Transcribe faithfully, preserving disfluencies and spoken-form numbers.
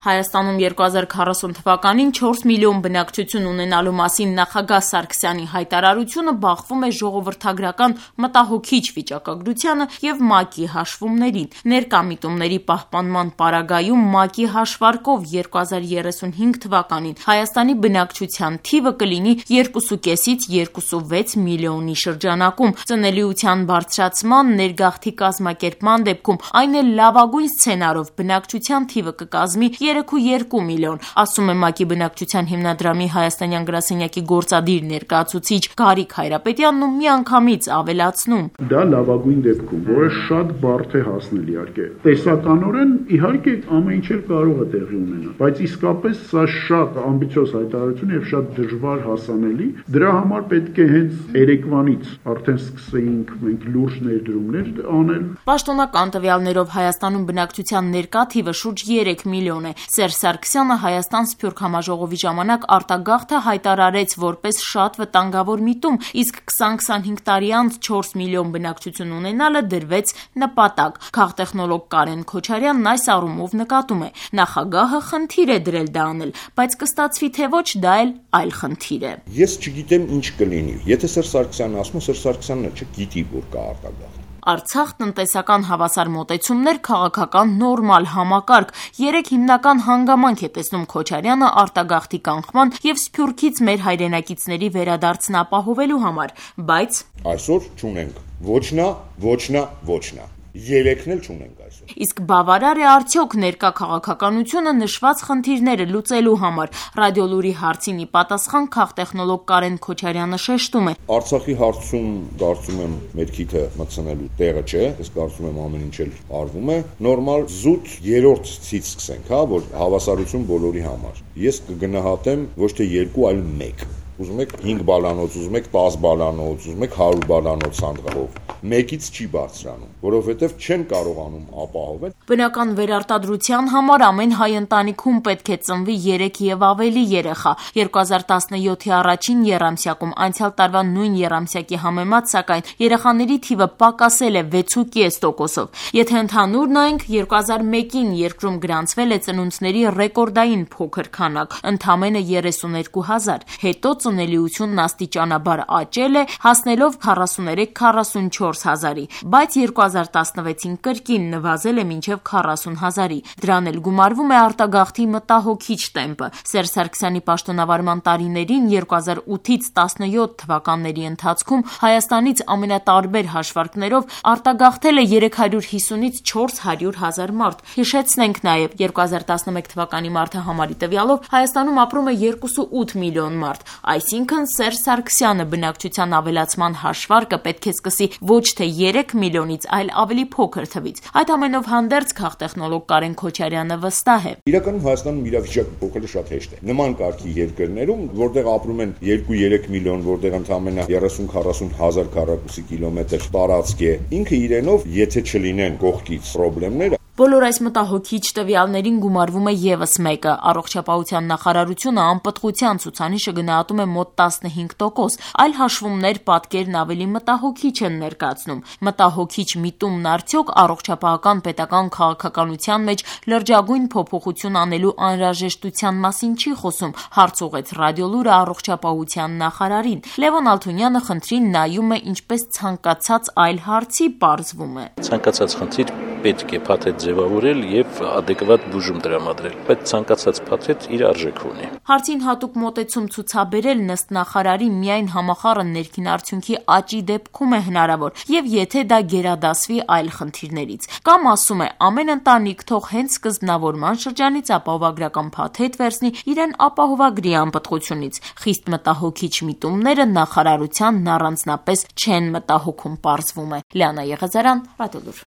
Հայաստանում երկու հազար քառասուն թվականին չորս միլիոն բնակչություն ունենալու մասին նախագահ Սարգսյանի հայտարարությունը բախվում է ժողովրդագրական մտահոգիչ վիճակագրությանը և ՄԱԿ-ի հաշվումներին։ Ներկա միտումների պահպանման պարագայում ՄԱԿ-ի հաշվարկով երկու հազար երեսունհինգ թվականին Հայաստանի բնակչության թիվը կլինի երկուսուկեսից երկուսուվեց միլիոնի շրջանակում։ Ծնելիության բարձրացման, ներգաղթի կազմակերպման դեպքում այն էլ լավագույն սցենարով բնակչության թիվը կկազմի երեքուերկու միլիոն, ասում է ՄԱԿ-ի բնակչության հիմնադրամի հայաստանյան գրասենյակի գործադիր ներկայացուցիչ Գարիկ Հայրապետյանն ու միանգամից ավելացնում. Դա լավագույն դեպքում, որը շատ բարդ է հասնել իհարկե։ Տեսականորեն իհարկե ամեն ինչ էլ կարող է տեղի ունենալ, բայց իսկապես սա շատ ամբիցիոզ հայտարարություն եւ շատ դժվար հասանելի։ Դրա համար պետք է հենց երեկվանից արդեն սկսեինք մենք լուրջ ներդրումներ անել։ Պաշտոնական տվյալներով Հայաստանում բնակչության ներկա թիվը շուրջ երեք միլիոն է։ Սերժ Սարգսյանը Հայաստան Սփյուռք համաժողովի ժամանակ արտագաղթը հայտարարեց որպես շատ վտանգավոր միտում, իսկ քսան-քսանհինգ տարի անց չորս միլիոն բնակչություն ունենալը դրվեց նպատակ։ Քաղտեխնոլոգ Կարեն Քոչարյանն այս առումով նկատում է. նախագահը խնդիր է դրել դա անել, բայց կստացվի թե ոչ, դա էլ այլ խնդիր է։ Ես չգիտեմ ինչ կլինի։ Եթե Սերժ Սարգսյանն ասում է, Սերժ Սարգսյանն չգիտի, որ կա արտագաղթ։ Արցախ տնտեսական հավասար մոտեցումներ, քաղաքական նորմալ համակարգ։ Երեք հիմնական հանգամանք է տեսնում Քոչարյանը արտագաղթի կանխման և Սփյուռքից մեր հայրենակիցների վերադարձն ապահովելու համար, բայց այսօր չունենք ոչ նա, ոչ նա, ոչ նա։ Երեքն էլ չունենք այսօր։ Իսկ բավարար է արդյոք ներկա քաղաքականությունը նշված խնդիրները լուծելու համար։ Ռադիոլուրի հարցին ի պատասխան քաղտեխնոլոգ Կարեն Քոչարյանը շեշտում է. Արցախի հարցում կարծում եմ մեր քիթը մտցնելու տեղը չէ, ես կարծում եմ ամեն ինչ էլ արվում է։ Նորմալ զուտ երրորդ ցից սկսենք, հա, որ հավասարություն բոլորի համար։ Ես կգնահատեմ ոչ թե երկու, այլ մեկ։ Ուզում եք հինգ բալանոց, ուզում եք տասը բալանոց, ուզում եք հարյուր բալանոց սանդղով։ Մեկից չի բարձրանում, որովհետև չեն կարողանում ապահովել։ Բնական վերարտադրության համար ամեն հայ ընտանիքում պետք է ծնվի երեք եւ ավելի երեխա։ երկու հազար տասնյոթի առաջին եռամսյակում անցյալ տարվա նույն եռամսյակի համեմատ, սակայն երեխաների թիվը պակասել է վեցուկես տոկոսով։ Եթե ընդհանուր նայենք, երկու հազար մեկին երկրում գրանցվել է ծնունդների ռեկորդային փոքր քանակ, ընդամենը երեսուներկու հազար։ Հետո ծնելիությունն աստիճանաբար աճել է, հասնելով քառասուներեք քառասունչորս հազարի, բայց երկու հազար տասնվեցին կրկին նվազել է մինչև քառասուն հազարի։ Դրան էլ գումարվում է արտագաղթի մտահոգիչ տեմպը։ Սերժ Սարգսյանի պաշտոնավարման տարիներին երկու հազար ութից տասնյոթ թվականների ընթացքում Հայաստանից ամենատարբեր հաշվարկներով արտագաղթել է երեք հարյուր հիսունից չորս հարյուր հազար մարդ։ Հիշեցնենք նաև երկու հազար տասնմեկ թվականի մարդահամարի տվյալով Հայաստանում ապրում է երկուսուութ միլիոն մարդ։ Այսինքն Սերժ Սարգսյանը բնակչության ավելացման հաշվարկը պետք է սկսի ոչ թե երեք միլիոնից, այլ ավելի փոքր թվից։ Այդ ամենով հանդերձ քաղտեխնոլոգ Կարեն Քոչարյանը վստահ է. Իրականում Հայաստանում իրավիճակը փոխելը շատ հեշտ է։ Նման կարգի երկրներում, որտեղ ապրում են երկու-երեք միլիոն, որտեղ ընդամենը երեսուն-քառասուն հազար քառակուսի կիլոմետր տարածք է, ինքը իրենով, եթե չլինեն կողքից խնդիրներ, Բոլոր այս մտահոգիչ տվյալներին գումարվում է ևս մեկը։ Առողջապահության նախարարությունը անպտղության ցուցանիշը գնահատում է մոտ տասնհինգ տոկոս, այլ հաշվումներ պատկերն ավելի մտահոգիչ են ներկայացնում։ Մտահոգիչ միտումն արդյոք առողջապահական պետական քաղաքականության մեջ լրջագույն փոփոխություն անելու անհրաժեշտության մասին չի խոսում, հարց ուղղեց Ռադիոլուրը առողջապահության նախարարին։ Լևոն Ալթունյանը խնդրին նայում է ինչպես ցանկացած այլ հարցի, պարզվում է. Ցանկացած խնդիր պետք է փաթեթ ձևավորել եւ adekvat բուժում տրամադրել, բայց ցանկացած փաթեթ իր արժեքը ունի։ Հարցին հատուկ մոտեցում ցուցաբերելն ըստ նախարարի միայն համախառն ներքին արդյունքի աճի դեպքում է հնարավոր եւ եթե դա գերադասվի այլ խնդիրներից։ Կամ ասում է, ամեն ընտանիք թող հենց սկզբնավորման շրջանից ապահովագրական փաթեթ վերցնի իրեն ապահովագրի անպտղությունից։ Խիստ մտահոգիչ միտումները նախարարությանն առանձնապես չեն մտահոգում, պարզվում է։ Լիանա Եղազարյան, Ռադիոլուր։